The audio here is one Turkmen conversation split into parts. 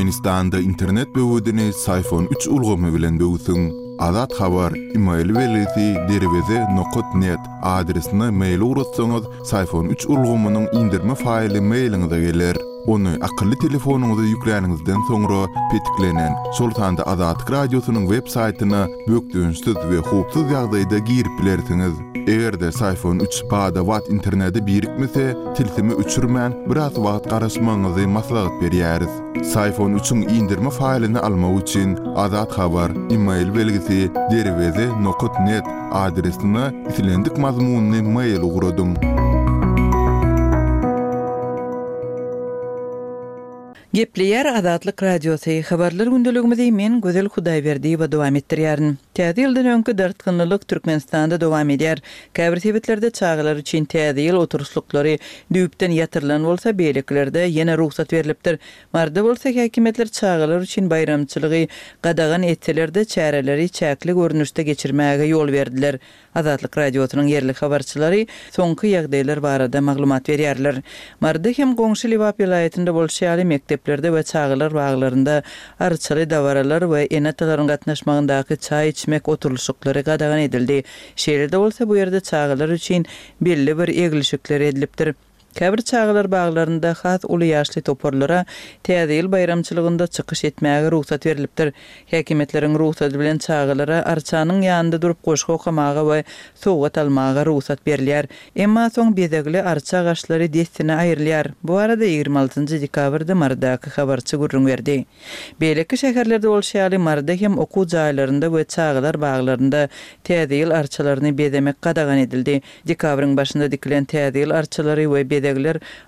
Türkmenistanda internet böwedini Syfon üç ulgamy bilen böwsüň. Azat Habar, email belgisi derweze nokat net adresine mail ugratsaňyz, Syfon üç ulgamynyň indirme faýly mailiňize geler. Ony akylly telefonyňyza ýükläniňizden soňra petiklenen, şol sanda Azatlyk Radiosynyň web saýtyna bökdençsiz we howpsuz ýagdaýda girip bilersiňiz. Eger-de Syfon üç bada-bat internete birikmese, tilsimi öçürmän, biraz wagt garaşmagyňyzy maslahat berýäris. Syfon üçiň indirme faýlyny almak üçin Azat Habar, email belgisi, derweze nokat net adresine islendik mazmunly mail ugradyň. Gepleýär Azatlyk Radiosy, Habarlar gündeligimizi men Gözel Hudaýberdiýewa dowam etdirýärin. Täze ýyldan öňki dartgynlylyk Türkmenistanda dowam edýär. Käbir sebitlerde çagalar üçin Täze ýyl oturyşlyklary düýpden ýatyrylan bolsa, beýlekilerde ýene rugsat berlipdir. Maryda bolsa häkimiýetler çagalar üçin baýramçylygy gadagan etseler-de, çäreleri çäkli görnüşde geçirmäge ýol berdiler. Azatlyk Radiosynyň ýerli habarçylary soňky ýagdaýlar barada maglumat berýärler. Maryda hem goňşy Lebap welaýatynda bolşy ýaly mekdeplerde we çagalar baglarynda arçaly dabaralar we ene-atalaryň gatnaşmagyndaky çaý içmek oturylyşyklary gadagan edildi. Şeýle-de bolsa bu ýerde çagalar üçin belli bir eglişikler edilipdir. Käbir çagalar baglarynda has uly ýaşly toparlara Täze ýyl baýramçylygynda çykyş etmäge rugsat berlipdir. Häkimiýetleriň rugsady bilen çagalara arçanyň ýanynda durup goşgy okamaga we sowgat almaga rugsat berilýär. Emma soň bezegli arça agaçlary dessine aýrylýar. Bu barada 26 dekabrda Marydaky habarçy gürrüň berdi. Beýleki şäherlerde bolşy ýaly, Maryda hem okuw jaýlarynda we çagalar baglarynda Täze ýyl arçalaryny bezemek gadagan edildi. Dekabryň başynda dikilen Täze ýyl arçalary we bezegler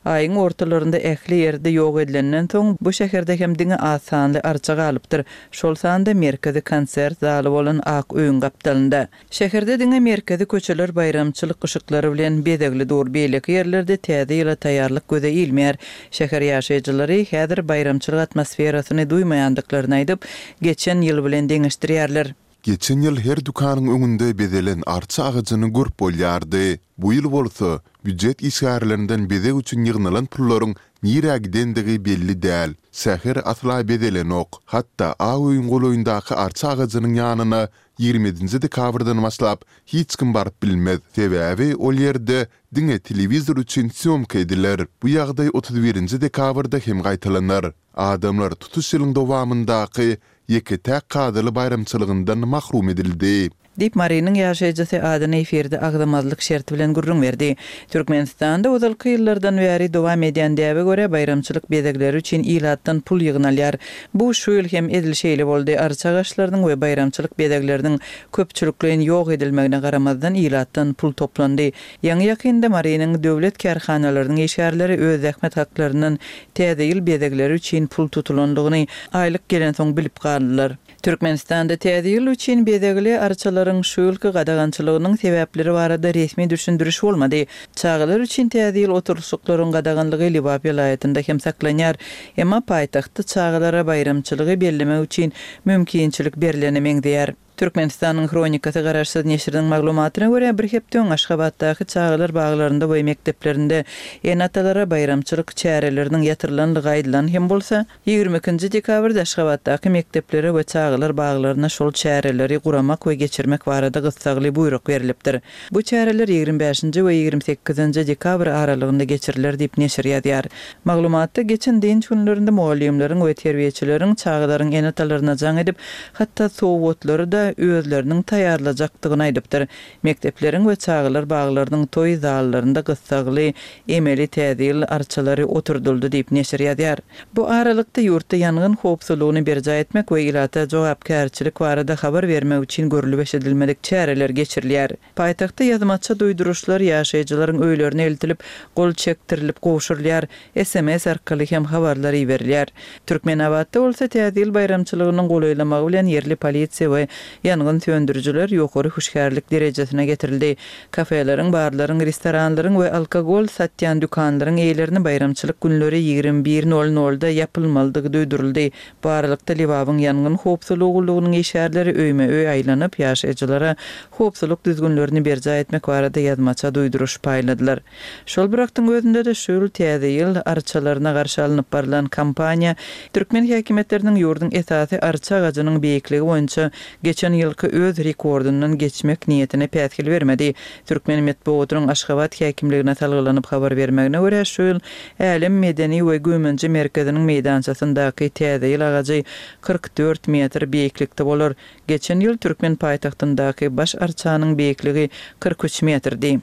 aýyň ortalarynda ähli ýerde ýok edilenden soň, bu şäherde hem diňe az sanly arça galypdyr, şol sanda merkezi konsert zaly bolan Ak öýüň gapdalynda. Şäherde diňe merkezi köçeler baýramçylyk yşyklary bilen bezegli dur, beýleki ýerlerde Täze ýyla taýýarlyk göze ilmeýär. Şäher ýaşaýjylary häzir baýramçylyk atmosferasyny duýmaýandyklaryny aýdyp, geçen ýyl bilen deňeşdirýärler. Geçen ýyl her dükanyň öňünde bezelen arça agajyny görüp bolýardy. Bu ýyl bolsa, býujet işgärlerinden bezeg üçin ýygnalan pullaryň nirä gidendigi belli däl. Şäher asla bezelenok. Hatda Ak öýüň golaýyndaky arça agajynyň ýanyna 27-nji dekabrdan başlap hiç kim baryp bilmez. Sebäbi ol ýerde diňe telewizor üçin sýomka ediler. Bu ýagdaý 31-nji dekabrda hem gaýtalanar. Adamlar tutuş ýylyň dowamyndaky ýeke-täk kadaly baýramçylygyndan mahrum edildi. Diýip, Marynyň ýaşaýjysy adyny efirde agzamazlyk şerti bilen gürrüň berdi. Türkmenistanda ozalky ýyllardan bäri dowam edýän däbe görä, baýramçylyk bezegleri üçin ilatdan pul ýygnalýar. Bu şu ýyl hem edil şeýle boldy, arça agaçlarynyň we baýramçylyk bezegleriniň köpçülikleýin ýok edilmegine garamazdan, ilatdan pul toplandy. Ýaňy-ýakynda Marynyň döwlet kärhanalarynyň işgärleri öz zähmet haklaryndan Täze ýyl bezegleri üçin pul tutulandygyny aýlyk gelensoň bilip galdylar. Türkmenistanda Täze ýyl üçin bezegli arçalaryň şu ýylky gadagançylygynyň sebäpleri barada resmi düşündiriş bolmady. Çagalar üçin Täze ýyl oturylyşyklaryň gadaganlygy Lebap welaýatynda hem saklanýar. Emma paýtagtda çagalara baýramçylygy bellemek üçin mümkinçilik berlene meňzeýär. Türkmenistanyň Hronikasy garaşsyz neşiriniň maglumatyna görä, bir hepde öň Aşgabatdaky çagalar baglarynda we mekdeplerinde ene-atalara baýramçylyk çäreleriniň ýatyrylandygy aýdylan hem bolsa, 22-nji dekabrda Aşgabatdaky mekdeplere we çagalar baglaryna şol çäreleri guramak we geçirmek barada gyssagly buýruk berlipdir. Bu çäreler 25-nji we 28-nji dekabr aralygynda geçiriler diýip, neşir ýazýar. Maglumatda geçen dynç günlerinde mugallymlaryň we terbiýeçileriň çagalaryň ene-atalaryna jaň edip, hatda sowgatlary-da özleriniň taýýarlajakdygyny aýdypdyr. Mekdepleriň we çagalar baglarynyň toý zallarynda gyssagly emeli Täze ýyl arçalary oturdyldy diýip, neşir ýazýar. Bu aralykda, ýurtda ýangyn howpsuzlygyny berjaý etmek we ilata jogapkärçilik barada habar bermek üçin görlüp-eşidilmedik çäreler geçirilýär. Paýtagtda ýazmaça duýduryşlar ýaşaýjylaryň öýlerine eltilip, gol çekdirilip gowşurylýar, sms arkaly hem habarlar iberilýär. Türkmenabatda bolsa Täze ýyl baýramçylygynyň golaýlamagy bilen ýerli polisiýa we Ýangyn söndürijiler ýokary hüşgärlik derejesine getirildi. Kafeleriň, barlaryň, restoranlaryň we alkogol satýan dükanlaryň eýelerine baýramçylyk günleri 21 nol nolda ýapylmalydygy duýduryldy. Bu aralykda, Lebabyň ýangyn howpsuzlygy gullugynyň işgärleri öýme-öý aýlanyp, ýaşaýjylara howpsuzlyk düzgünlerini berjaý etmek barada ýazmaça duýduryş paýladylar. Şol bir wagtyň özünde-de şu ýyl Täze ýyl arçalaryna garşy alnyp barlan kampaniýa türkmen häkimiýetleriniň ýurduň esasy arça agajynyň beýikligi boýunça geçen ýylky öz rekordyndan geçmek niýetine päsgel bermedi. Türkmen metbugatynyň Aşgabat häkimligine salgylanyp habar bermegine görä, şu ýyl Älem medeni we güýmenje merkeziniň meýdançasyndaky Täze ýyl agajy 44 metr beýiklikde bolar. Geçen ýyl türkmen paýtagtyndaky baş arçanyň beýikligi 43 metrdi.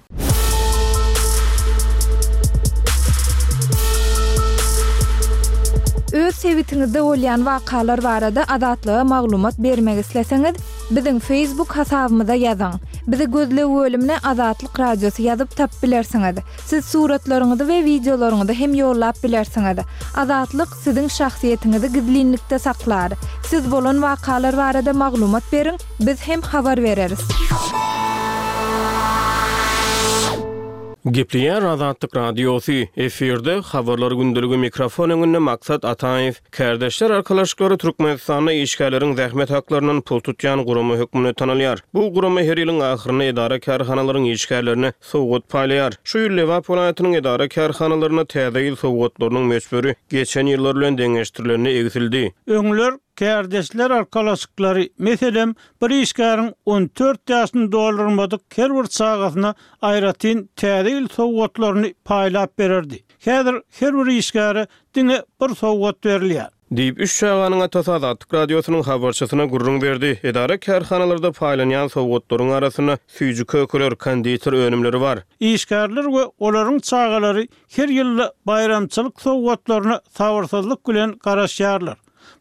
Öz sebitiňizde bolýan wakalar barada Azatlyga maglumat bermek isleseňiz, biziň Facebook hasabymyza ýazyň. Bizi gözleg bölümine Azatlyk Radiosy ýazyp tapyp bilersiňiz. Siz suratlaryňyzy we wideolaryňyzy hem ýollap bilersiňiz. Azatlyk siziň şahsyýetiňizi gizlinlikde saklar. Siz bolan wakalar barada maglumat beriň, biz hem habar bereris. Gepleýär Azatlyk Radiosy, efirde, Habarlar gündeligi mikrofon öňünde Maksat Ataýew. Kärdeşler arkalaşyklary Türkmenistanda işgärleriň zähmet haklaryndan pul tutýan gurama hökmünde tanalýar. Bu gurama her ýylyň ahyrynda edara-kärhanalaryň işgärlerine sowgat paýlaýar. Şu ýyl Lebap welaýatynyň edara-kärhanalarynda Täze ýyl sowgatlarynyň möçberi geçen ýyllar bilen deňeşdirilende egsildi. Öňler kärdeşler arkalaşyklary, meselem, bir işgäriň on dört ýaşyny doldurmadyk her bir çagasyna aýratyn Täze ýyl sowgatlaryny paýlap bererdi. Häzir her bir işgäre diňe bir sowgat berilýär. Diýip, üç çaganyň atasy Azatlyk Radiosynyň habarçysyna gürrüň berdi. Edara-kärhanalarda paýlanýan sowgatlaryň arasynda süýji-kökeler, konditer önümleri bar. Işgärler we olaryň çagalary her ýylda baýramçylyk sowgatlaryna sabyrsyzlyk bilen garaşýarlar.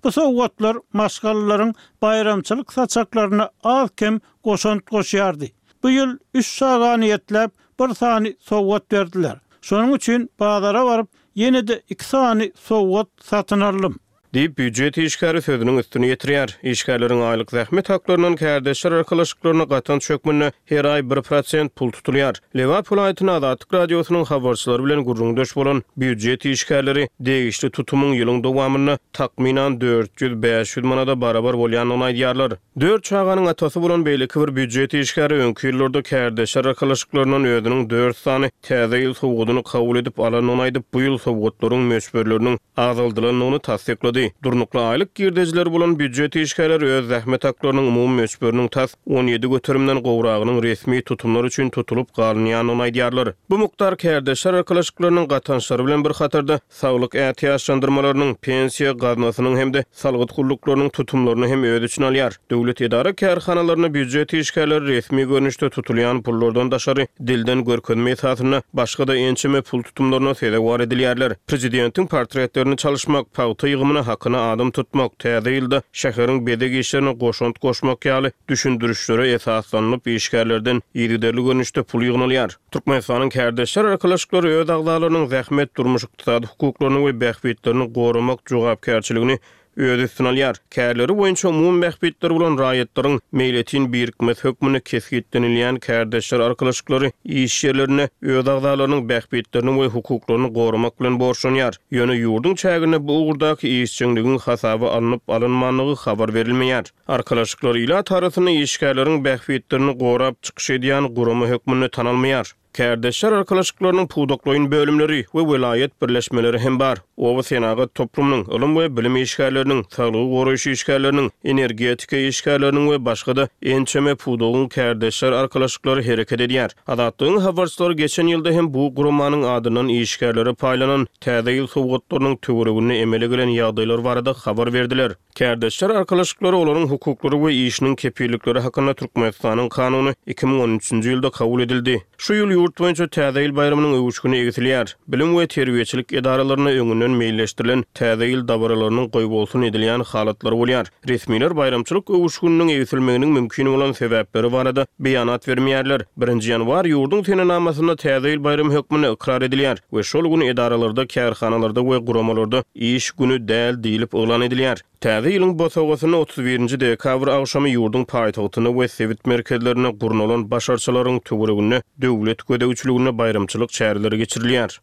Bu sowgatlar maşgalalaryň baýramçylyk saçaklaryna az-kem goşant goşýardy. Bu ýyl üç çaga niýetläp bir sany sowgat berdiler. Şonuň üçin bazara baryp, ýene-de iki sany sowgat satyn aldym. Diýip, býujet işgäri sözüniň üstüni ýetirýär. Işgärleriň aýlyk zähmet haklaryndan kärdeşler arkalaşyklaryna gatanç hökmünde her aý bir prosent pul tutulýar. Lebap welaýatynda Azatlyk Radiosynyň habarçylary bilen gürrüňdeş bolan býujet işgärleri degişli tutumyň ýylyň dowamynda takmynan 400-500 manada barabar bolýandygyny aýdýarlar. Dört çaganyň atasy bolan beýleki bir býujet işgäri öňki ýyllarda kärdeşler arkalaşyklaryndan özüniň dört sany Täze ýyl sowgadyny kabul edip alandygyny aýdyp, bu ýyl sowgatlaryň möçberleriniň azaldylandygyny tassyklady. Durnukly aýlyk girdejileri bolan býujet işgärleri öz zähmet haklarynyň umumy möçberiniň tas 17 göterimden gowragynyň resmi tutumlar üçin tutulyp galynýandygyny aýdýarlar. Bu mukdar kärdeşler arkalaşyklarynyň gatançlary bilen bir hatarda, saglyk ätiýaçlandyrmalarynyň, pensiýa gaznasynyň hem-de salgyt gulluklarynyň tutumlaryny hem öz içine alýar. Döwlet edara-kärhanalarynda býujet işgärleri resmi görnüşde tutulýan pullardan daşary, dilden görkezme esasynda başga-da ençeme pul tutumlaryna sezewar edilýärler. Prezidentiň portretlerini çalyşmak, pagta ýygymyna hakyna adam tutmak, Täze ýylda şäheriň bezeg işlerine goşant goşmak ýaly düşündirişlere esaslanylyp işgärlerden yzygiderli görnüşde pul ýygnalýar. Türkmenistanyň Kärdeşler arkalaşyklary öz agzalarynyň zähmet, durmuş-ykdysady hukuklaryny we bähbitlerini goramak jogapkärçiligini öz üstüne alýar. Kärleri boýunça umumy bähbitleri bolan raýatlaryň meýletin birikmesi hökmünde kesgitlenilýän kärdeşler arkalaşyklary iş ýerlerinde öz agzalarynyň bähbitlerini we hukuklaryny goramak bilen borçlanýar. Ýöne ýurduň çäginde bu ugurdaky işjeňligiň hasaba alnyp-alynmandygy habar berilmeýär. Arkalaşyklar ilat arasynda işgärleriň bähbitlerini gorap çykyş edýän gurama hökmünde tanalmaýar. Kärdeşler arkalaşyklarynyň pudaklaýyn bölümleri we welaýat birleşmeleri hem bar. Oba senagat toplumynyň, ylym we bilim işgärleriniň, saglygy goraýyş işgärleriniň, energetika işgärleriniň we başga-da ençeme pudagyň kärdeşler arkalaşyklary hereket edýär. Azatlygyň habarçylary geçen ýylda hem bu guramanyň adyndan işgärlere paýlanan Täze ýyl sowgatlarynyň töwereginde emele gelen ýagdaýlar barada habar berdiler. Kärdeşler arkalaşyklary, olaryň hukuklary we işiniň kepillikleri hakynda Türkmenistanyň Kanuny 2013-nji ýylda kabul edildi. Şu ýyl ýurt boýunça Täze ýyl baýramynyň öwüşgini egsilýär. Bilim we terbiýeçilik edaralarynda öňünden meýilleşdirilen Täze ýyl dabaralarynyň goýbolsun edilýän halatlary bolýar. Resmiler baýramçylyk öwüşgininiň egsilmeginiň mümkin bolan sebäpleri barada beýanat bermeýärler. Birinji ýanwar ýurduň senenamasynda Täze ýyl baýramy hökmünde ykrar edilýär we şol gün edaralarda, kärhanalarda we guramalarda iş güni däl diýlip yglan edilýär. Täze ýylyň bosagasynda 31-nji dekabr agşamy ýurduň paýtagtynda we sebit merkezlerinde gurnalan baş arçalaryň töwereginde döwlet gözegçiliginde baýramçylyk çäreleri geçirilýär.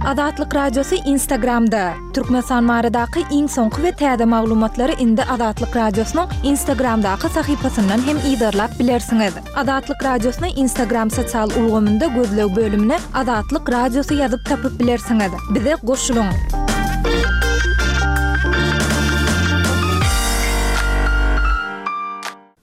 Azatlyk Radiosy Instagramda, Türkmenistan baradaky iň soňky we täze maglumatlary indi Azatlyk Radiosynyň Instagramdaky sahypasyndan hem yzarlap bilersiňiz. Azatlyk Radiosyny Instagram sosial ulgamynda gözleg bölümine Azatlyk Radiosy ýazyp tapyp bilersiňiz. Bize goşulyň!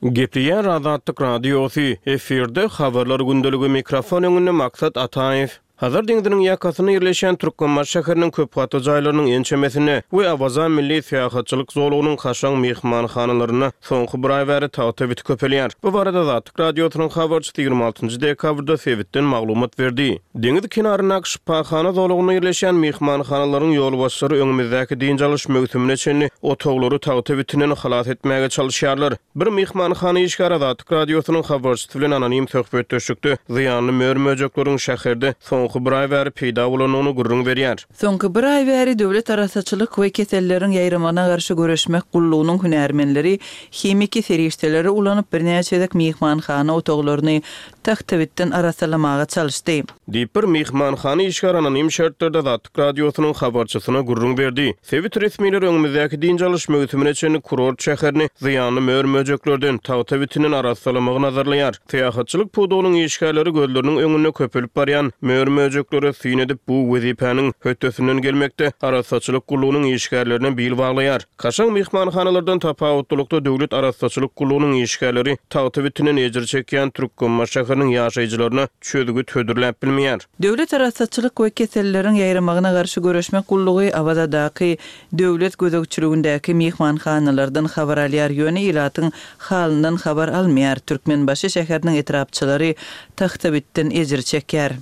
Gepleýär Azatlyk Radiosy, efirde Habarlar gündeligi, mikrofon öňünde Maksat Ataýew. Hazar deňziniň ýakasynda ýerleşýän Türkmenbaşy şäheriniň köp gatly jaýlarynyň ençemesinde we Awaza milli syýahatçylyk zolagynyň kaşaň myhmanhanalarynda soňky bir aý bäri tagta biti köpelýär. Bu barada Azatlyk Radiosynyň habarçysy 26 nji dekabrda sebitden maglumat berdi. Deňiz kenaryndaky şypahana zolagynda ýerleşýän myhmanhanalaryň ýolbaşçylary öňümizdäki dynç alyş möwsümine çenli otaglary tagta bitinden halas etmäge çalyşýarlar. Bir myhmanhana işgäri Azatlyk Radiosynyň habarçysy bilen anonim söhbetdeşlikde zyýanly mör-möjekleriň şäherde soňky bir aý bäri peýda bolandygyny gürrüň berýär. Soňky bir aý bäri Döwlet arassaçylyk we keselleriň ýaýramagyna garşy göreşmek gullugynyň hünärmenleri himiki serişdeleri ulanyp birnäçe gezek myhmanhana otaglaryny tagtabitden arassalamaga çalyşdy. Diýip, bir myhmanhana işgäri anonim şertlerde Azatlyk Radiosynyň habarçysyna gürrüň berdi. Sebit resmileri öňümizdäki dynç alyş möwsümine çenli kurort şäherini zyýanly mör-möjeklerden, tagta bitinden arassalamagy nazarlaýar. Syýahatçylyk pudagynyň işgärleri gözleriniň öňünde köpelip barýan mör-möjeklere syn edip, bu wezipäniň hötdesinden gelmekde arassaçylyk gullugynyň işgärlerine bil baglaýar. Kaşaň myhmanhanalardan tapawutlylykda döwlet arassaçylyk gullugynyň işgärleri tagta bitinden ejir çekýän Türkmenbaşy şäheriniň ýaşaýjylaryna çözgüt hödürläp bilmeýär. Döwlet arassaçylyk we keselleriň ýaýramagyna garşy göreşmek gullugy Awazadaky döwlet gözegçiligindäki myhmanhanalardan habar alýar, ýöne ilatyň halyndan habar almaýar. Türkmenbaşy şäheriniň etrapçalary tagtabitden ejir çekýär.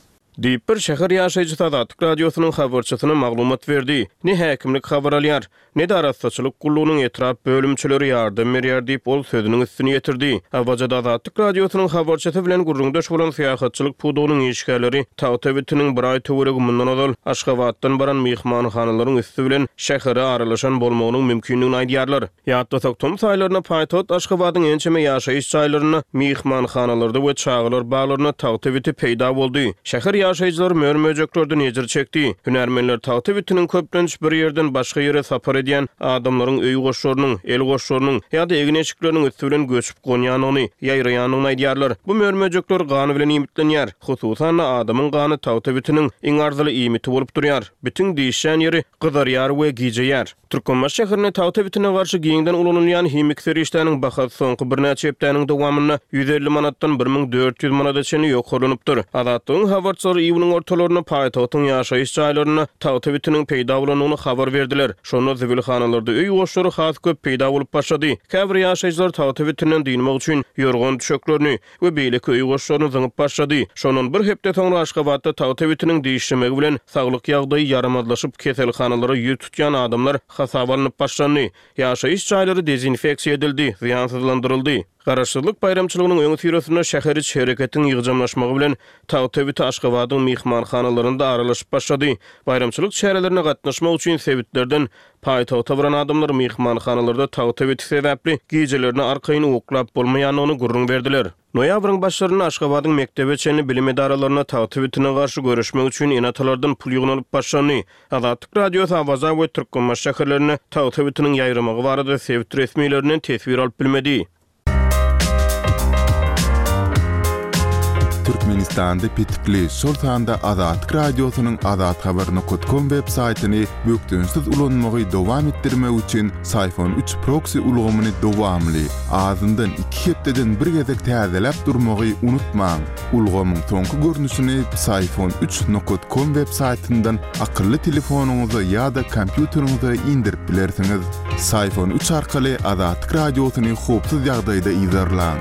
Diýip, bir şäher ýaşaýjysy Azatlyk Radiosynyň habarçysyna maglumat berdi. Ne häkimlik habar alýar, ne-de arassaçylyk gullugynyň etrap bölümçeleri ýardam berýär diýip, ol sözüniň üstüni ýetirdi. Awazada Azatlyk Radiosynyň habarçysy bilen gürrüňdeş bolan syýahatçylyk pudagynyň işgärleri tagta bitiniň bir aý töweregi mundan ozal Aşgabatdan baran myhmanhanalaryň üsti bilen şähere aralaşan bolmagynyň mümkindigini aýdýarlar. Ýatlasak, tomus aýlarynda paýtagt Aşgabadyň ençeme ýaşaýyş jaýlarynda, myhmanhanalarda we çagalar baglarynda tagta biti peýda boldy. Şäher ýaşaýjylary mör-möjeklerden ejir çekdi. Hünärmenler tagta bitiniň köplenç bir ýerden başga ýere sapar edýän adamlaryň öý goşlarynyň, el goşlarynyň ýa-da egin-eşikleriniň üsti bilen göçüp gonýandygyny, ýaýraýandygyny aýdýarlar. Bu mör-möjekler gan bilen iýmitlenýär. Hususan-da, adamyň gany tagta bitiniň iň arzyly iýmiti bolup durýar. Bitiň dişlän ýeri gyzarýar we gijeýär. Türkmenbaşy şäherinde tagta bitine garşy giňden ulanylýan himiki serişdäniň bahasy soňky birnäçe hepdäniň dowamynda 150 manatdan 1400 manada çenli ýokarlanypdyr. Azatlygyň habarçylary iýunyň ortalarynda paýtagtyň ýaşaýyş jaýlarynda tagta bitiniň peýda bolandygyny habar berdiler. Şonda zibilhanalarda öý goşlary has köp peýda bolup başlady. Käbir ýaşaýjylar tagta bitinden dynmak üçin ýorgan-düşeklerini, we beýleki öý goşlaryny zyňyp başlady. Şondan bir hepde soňra Aşgabatda tagta bitiniň dişlemegi bilen saglyk ýagdaýy ýaramazlaşyp, keselhanalara ýüz tutýan adamlar hasaba alnyp başlandy. Ýaşaýyş jaýlary dezinfeksiýa edildi, zyýansyzlandyryldy. Garaşsyzlyk baýramçylygynyň öňüsyrasynda şäher içi hereketiň ýygjamlaşmagy bilen tagta biti Aşgabadyň myhmanhanalarynda aralaşyp başlady. Baýramçylyk çärelerine gatnaşmak üçin sebitlerden Paýtagta baran adamlar myhmanhanalarda tagta biti sebäpli gijelerine arkaýyn uklap bolmaýandygyny gürrüň berdiler. Noýabryň başlarynda Aşgabadyň mekdebe çenli bilim edaralarynda tagta bitine garşy göreşmek üçin ene-atalardan pul ýygnalyp başlandy. Azatlyk Radiosy Awaza we Türkmenbaşy şäherlerinde tagta bitiniň ýaýramagy barada sebit resmilerinden teswir alyp bilmedi. Türkmenistanda petikli, şol sanda Azatlyk Radiosynyň azathabar nokat kom web saýtyny bökdençsiz ulanmagy dowam etdirmek üçin Syfon üç proksi ulgamyny dowamly, azyndan iki hepdeden bir gezek täzeläp durmagy unutmaň. Ulgamyň soňky görnüşini Psiphon üç nokat kom web saýtyndan akylly telefonyňyza ýa-da kompýuteriňize indirip bilersiňiz. Psiphon üç arkaly Azatlyk Radiosyny howpsuz ýagdaýda yzarlaň.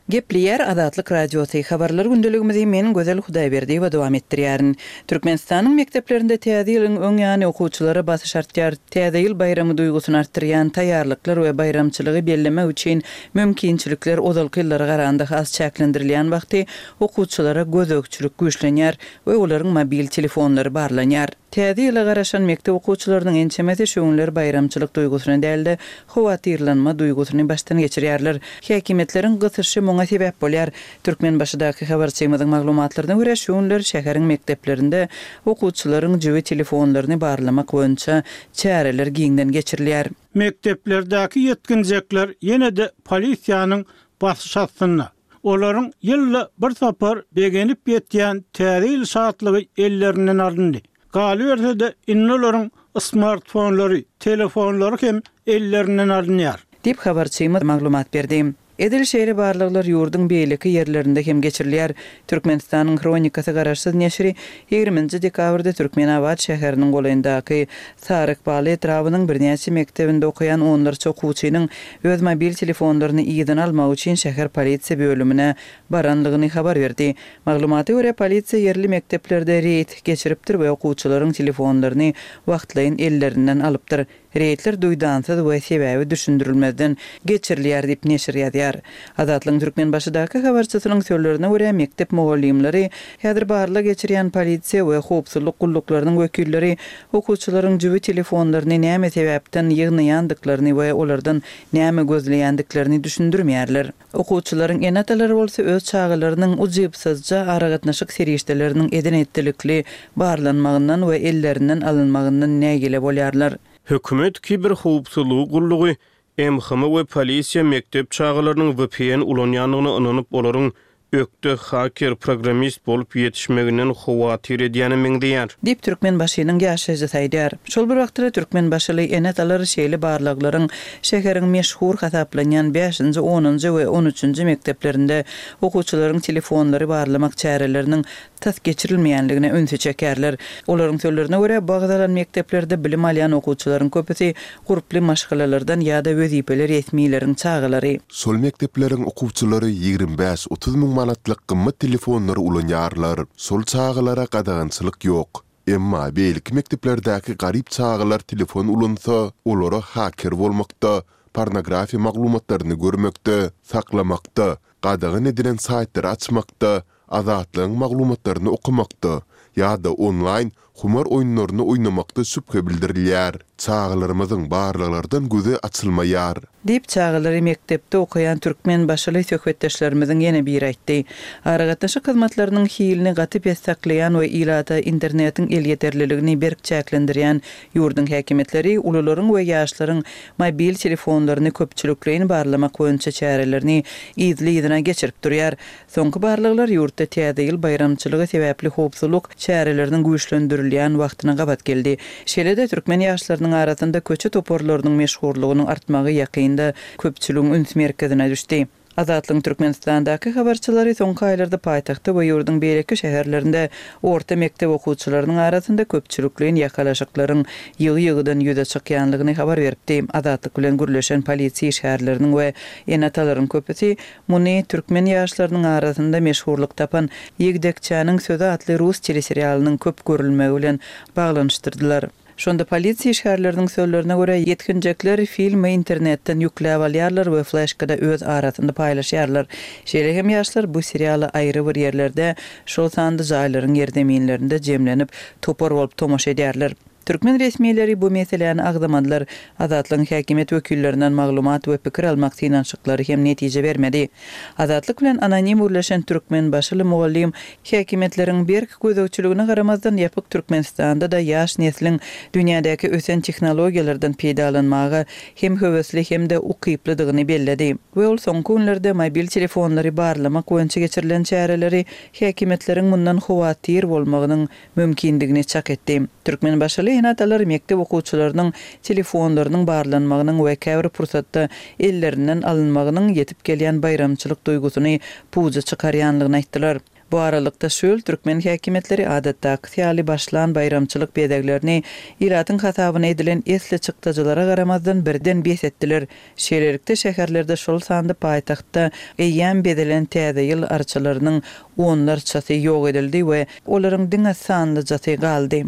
Gepleýär Azatlyk Radiosy, Habarlar gündeligimizi men Gözel Hudaýberdiýewa dowam etdirýärin. Türkmenistanyň mekdeplerinde Täze ýylyň öň ýany okuwçylara basyş artýar. Täze ýyl baýramy duýgusyny artdyrýan taýýarlyklar we baýramçylygy bellemek üçin mümkinçilikler ozalky ýyllara garanda has çäklendirilýän wagty okuwçylara gözegçilik güýçlenýär we olaryň mobil telefonlary barlanýar. Täze ýyla garaşan mekdep okuwçylarynyň ençemesi şu günler baýramçylyk duýgusyny däl-de, howatyrlanma duýgusyny başdan geçirýärler. Häkimiýetleriň gysyşy muňa sebäp bolýar. Türkmenbaşydaky habarçymyzyň maglumatlaryna görä, şu günler şäheriň mekdeplerinde okuwçylaryň jübi telefonlaryny barlamak boýunça çäreler giňden geçirilýär. Mekdeplerdäki ýetginjekler ýene-de polisiýanyň basyş astynda. Olaryň ýylda bir sapar begenip ýetýän Täze ýyl şatlygy ellerinden alyndy. Galyberse-de, indi olaryň smartfonlary, telefonlary hem ellerinden alynýar. Diýip, habarçymyz maglumat berdi. Edil şeýle barlaglar ýurduň beýleki ýerlerinde hem geçirilýär. Türkmenistanyň Hronikasy garaşsyz neşiri ýigriminji dekabrda Türkmenabat şäheriniň golaýyndaky Sarykbaly etrabynyň birnäçe mekdebinde okaýan onlarça okuwçynyň öz mobil telefonlaryny yzyna almak üçin şäher polisiýa bölümine baranlygyny habar berdi. Maglumata görä, polisiýa ýerli mekdeplerde reýd geçiripdir we okuwçylaryň telefonlaryny wagtlaýyn ellerinden alypdyr. Reýdler duýdansyz we sebäbi düşündirilmezden geçirilýär diýip, neşir ýazýar. Azatlygyň Türkmenbaşydaky habarçysynyň sözlerine görä, mekdep mugallymlary, häzir barlag geçirýän polisiýa we howpsuzlyk gulluklarynyň wekilleri okuwçylaryň jübi telefonlaryny näme sebäpden ýygnaýandyklaryny we olardan näme gözleýändiklerini düşündirmeýärler. Okuwçylaryň ene-atalary bolsa öz çagalarynyň ujypsyzja aragatnaşyk serişdeleriniň eden-etdilikli barlanmagyndan we ellerinden alynmagyndan nägile bolýarlar. Hökümet kiberhowpsuzlygy gullugy, MHM we polisiýa mekdep çagalarynyň vpn ulanýandygyna ynanyp, olaryň ökde haker, programmist bolup ýetişmeginden howatyr edýäne meňzeýär. Diýip, Türkmenbaşynyň ýaşaýjysy aýdýar. Şol bir wagtda-da türkmenbaşyly ene-atalar şeýle barlaglaryň şäheriň meşhur hasaplanýan bäşinji, onunjy we on üçünji mekdeplerinde okuwçylaryň telefonlary barlamak çäreleriniň tas geçirilmeýänligine ünsi çekýärler. Olaryň sözlerine görä, bu agzalan mekdeplerde bilim alýan okuwçylaryň köpüsi gurply maşgalalardan ýa-da wezipeli resmileriň çagalary. Şol mekdepleriň okuwçylary 25-30 müň manatlyk gymmat telefonlary ulanýarlar. Şol çagalara gadagançylyk ýok. Emma beýleki mekdeplerdäki garyp çagalar telefon ulansa, olara haker bolmakda, pornografiýa maglumatlaryny görmekde, saklamakda, gadagan edilen saýtlary açmakda, Azatlygyň maglumatlaryny okamakda ýa-da onlaýn humar oýunlaryny oýnamakda şübhe bildirilýär. Çagalarymyzyň barlaglardan gözi açylmaýar. Diýip, çagalary mekdepde okaýan türkmenbaşyly söhbetdeşlerimiziň ýene biri aýtdy. Aragatnaşyk hyzmatlarynyň hilini gaty pes saklaýan we ilata internetiň elýeterliligini berk çäklendirýän ýurduň häkimiýetleri ulularyň we ýaşlaryň mobil telefonlaryny köpçülikleýin barlamak boýunça çärelerini yzly-yzyna geçirip durýar. Soňky barlaglar ýurtda Täze ýyl baýramçylygy sebäpli howpsuzlyk çäreleriniň güýçlendirilýän wagtyna gabat geldi. Şeýle-de, türkmen ýaşlarynyň arasynda köçe toparlarynyň meşhurlygynyň artmagy ýakynda köpçüligiň üns merkezine düşdi. Azatlygyň Türkmenistandaky habarçylary soňky aýlarda paýtagtda we ýurduň beýleki şäherlerinde orta mekdep okuwçylarynyň arasynda köpçülikleýin ýakalaşyklaryň ýygy-ýygydan ýüze çykýanlygyny habar beripdi. Azatlyk bilen gürleşen polisiýa işgärleriniň we ene-atalaryň köpüsi Muny türkmen ýaşlarynyň arasynda meşhurlyk tapan Ýigdekçäniň sözi atly rus teleserialynyň köp görülmegi bilen baglanyşdyrdylar. Şonda polisiýa işgärleriniň sözlerine görä, ýetginjekler filmi internetden ýükläp alýarlar we fleşkada öz arasynda paýlaşýarlar. Şeýle hem ýaşlar bu seriala aýry bir ýerlerde, şol sanda jaýlaryň ýerzeminlerinde jemlenip, topar bolup tomaşa edýärler. Türkmen resmileri bu meseläni agzamadylar. Azatlygyň häkimiýet wekillerinden maglumat we pikir almak synanyşyklary hem netije bermedi. Azatlyk bilen anonim gürleşen türkmenbaşyly mugallym häkimiýetleriň berk gözegçiligine garamazdan ýapyk Türkmenistanda-da ýaş nesliň dünýädäki ösen tehnologiýalardan peýdalanmaga hem höwesli hem-de ukyplydygyny belledi we ol soňky günlerde mobil telefonlary barlamak boýunça geçirilen çäreleri häkimiýetleriň mundan howatyr bolmagynyň mümkindigini çak etdi. Türkmenbaşyly ene-atalar mekdep okuwçylarynyň telefonlarynyň barlanmagynyň we käbir pursatda ellerinden alynmagynyň ýetip gelýän baýramçylyk duýgusyny puja çykarýanlygyny aýtdylar. Bu aralykda, şu ýyl türkmen häkimiýetleri adatdakysy ýaly başlan baýramçylyk bezeglerini ilatyň hasabyna edilen esli çykdajylara garamazdan birden bes etdiler. Şeýlelikde, şäherlerde, şol sanda paýtagtda eýýäm bezelen Täze ýyl arçalarynyň onlarçasy ýok edildi we olaryň diňe sanlyjasy galdy.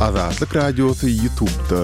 Azatlyk Radiosy Ýutubda.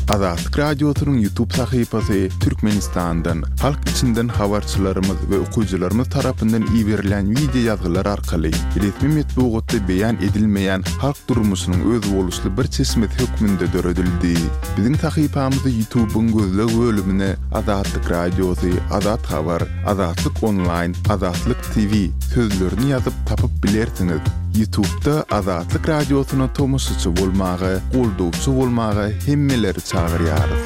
Azatlyk Radiosynyň Ýutub sahypasy Türkmenistandan, halk içinden habarçylarymyz we okyjylarymyz tarapyndan iberilýän wideo ýazgylar arkaly resmi metbugatda beýan edilmeýän halk durmuşynyň özboluşly bir çeşmesi hökmünde döredildi. Biziň sahypamyzy Ýutubyň gözleg bölümine Azatlyk Radiosy, Azat Habar, Azatlyk Onlaýn, Azatlyk TV sözlerini ýazyp tapyp bilersiňiz. Ýutubda Azatlyk Radiosyna tomaşaçy bolmaga, goldawçy bolmaga hemmeleri çagyrýarys.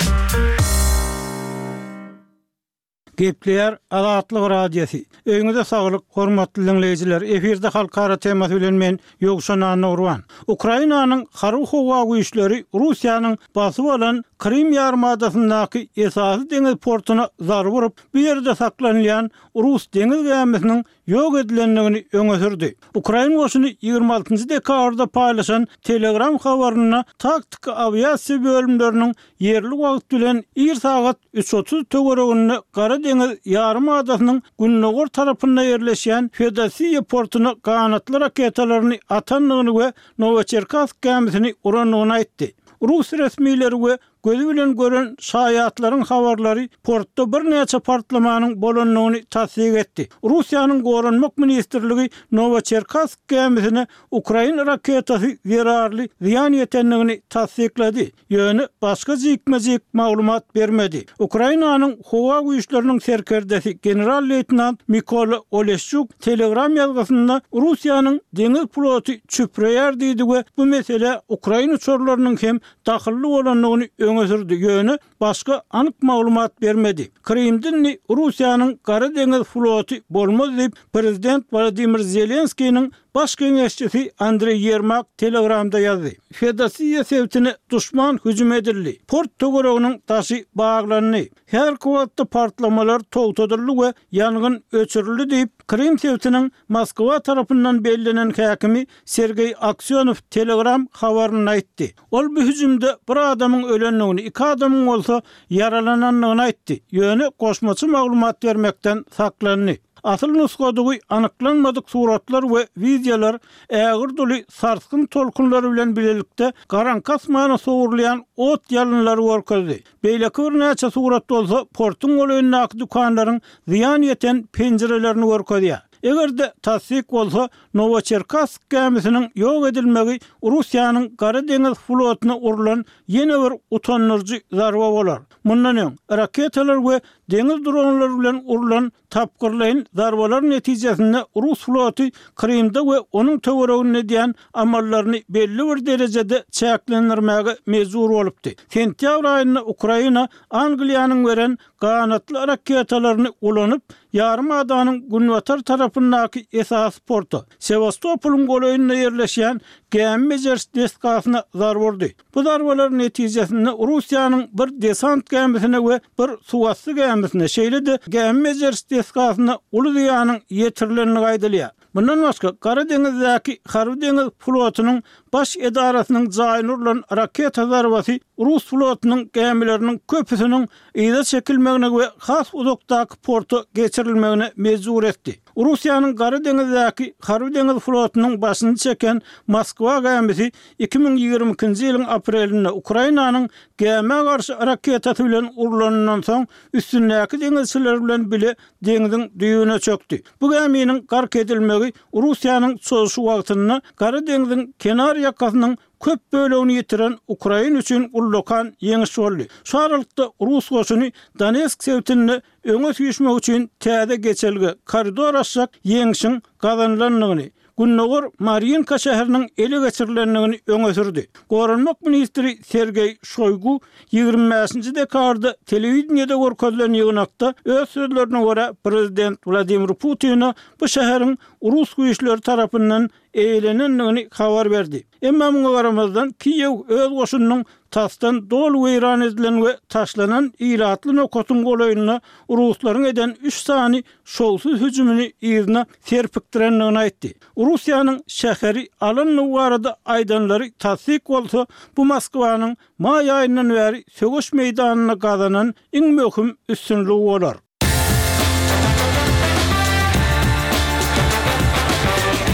Gepleýär Azatlyk Radiosy. Öýüňize saglyk, hormatly diňleýjiler! Efirde Halkara temasy bilen men, Ýowşan Annagurban. Ukrainanyň Harby-howa güýçleri Russiýanyň basyp alan Krym ýarymadasyndaky esasy deňiz portuna zarba urup, bu ýerde saklanylýan rus deňiz gämisiniň ýok edilendigini öňe sürdi. Ukrain goşuny 26 njy dekabrda paýlaşan Telegram habarynda taktiki awiasiýa bölümleriniň ýerli wagt bilen ir sagat üç 30 töwereginde Gara deňiz ýarym adasynyň gündogar tarapynda ýerleşýän Feodosiýa portuna ganatly raketalaryny atandygyny we Nowoçerkassk gämisini urandygyny aýtdy. Rus resmileri we Gözi bilen gören şaýatlaryň habarlary portda birnäçe partlamanyň bolandygyny tassyk etdi. Russiýanyň Goranmak ministrligi Nowoçerkassk gämisine ukrain raketasy zerarly zyýan ýetendigini tassyklady, ýöne başga jikme-jik maglumat bermedi. Ukrainanyň Howa güýçleriniň serkerdesi general-leýtenant Mikola Oleşçuk Telegram ýazgysynda Russiýanyň deňiz floty çüpreýär diýdi we bu meselä ukrain uçarlarynyň hem dahylly bolandygyny öňe sürdi, ýöne başga anyk maglumat bermedi. Krymda indi Russiýanyň Gara deňiz floty bolmaz diýip, prezident Wladimir Zelenskiniň baş geňeşçisi Andreý Ýermak Telegramda ýazdy. Feodosiýa sebitine duşman hüjüm edildi. Port töwereginiň daşy baglandy. Häzirki wagtda partlamalar togtadyldy we ýangyn öçürildi diýip, Krym sebitiniň Moskwa tarapyndan bellenen häkimi Sergeý Aksýonow Telegram habarynda aýtdy. Ol bu hüjümde bir adamyň ölendigini, iki adamyň bolsa ýaralanandygyny aýtdy, ýöne goşmaça maglumat bermekden saklandy. Asyl nusgadygy anyklanmadyk suratlar we wideolar ägirt uly sarsgyn tolkunlary bilen bilelikde garaňky asmana sowrulýan ot ýalynlary görkezdi. Beýleki birnäçe surat bolsa portuň golaýyndaky dükanlaryň zyýan ýeten penjirelerini görkezýär. Eger-de tassyk bolsa, Nowoçerkassk gämisiniň ýok edilmegi Russiýanyň Gara deňiz flotyna urlan ýene bir utandyryjy zarba bolar. Mundan öň, raketalar we deňiz dronlary bilen urlan Tapgyrlaýyn zarbalar netijesinde rus floty Krymda we onuň töwereginde edýän amallaryny belli bir derejede çäklendirmäge mejbur bolupdy. Sentýabr aýynda Ukraina Angliýanyň beren ganatly raketalaryny ulanyp, ýarym adanyň günbatar tarapyndaky esasy porta, Sewastopolyň golaýynda ýerleşýän gämi bejeriş desgasyna zarba urdy. Bu zarbalar netijesinde Russiýanyň bir desant gämisine we bir suwasty gämisine, şeýle-de gämi bejeriş desgasyna uly zyýanyň ýetirilendigi aýdylýar. Mundan başga, Gara deňizdäki Harby-deňiz flotunyň baş edarasynyň jaýyna urlan raketa zarbasy rus flotunyň gämileriniň köpüsiniň yza çekilmegine we has uzakdaky porta geçirilmegine mejbur etdi. Russiýanyň Gara deňizdäki Harby-deňiz flotunyň başyny çeken Moskwa gämisi 2022-nji ýylyň aprelinde Ukrainanyň gämä garşy raketasy bilen urlanyndan soň, üstündäki deňizçiler bilen bile deňziň düýbüne çökdi. Bu gäminiň gark edilmegi Russiýanyň çozuşy wagtynda Gara deňziň kenar ýakasynyň köp bölegini ýitiren Ukraina üçin ullakan ýeňiş boldy. Şu aralykda rus goşuny Donetsk sebitinde öňe süýşmek üçin täze geçelge, koridor açjak ýeňşiň gazanylandygyny, gündogar Marýinka şäheriniň ele geçirilendigini öňe sürdi. Goranmak ministri Sergeý Şoýgu 25-nji dekabrda telewideniýede görkezilen ýygnakda öz sözlerine görä, prezident Wladimir Putine bu şäheriň rus güýçleri tarapyndan eýelenendigini habar berdi. Emma muňa garamazdan, Kiýew öz goşunynyň tasdan doly weýran edilen we taşlanan ilatly nokatyň golaýynda ruslaryň eden üç sany şowsuz hüjümini yzyna serpikdirendigini aýtdy. Russiýanyň şäheri alandygy barada aýdanlary tassyk bolsa, bu Moskwanyň maý aýyndan bäri söweş meýdanynda gazanan iň möhüm üstünligi bolar.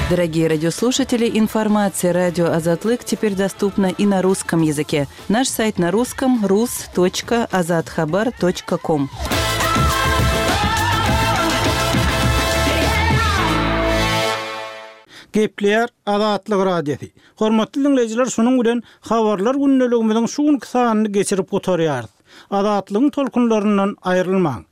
Дорогие радиослушатели, информация радио Азатлык теперь доступна и на русском языке. Наш сайт на русском rus.azathabar.com. Gepleýär Azatlyk Radiosy. Hormatly diňleýjiler şunuň bilen Habarlar gündeligimiziň şu günki sanyny geçirip gutarýarys. Azatlygyň tolkunlaryndan aýrylmaň!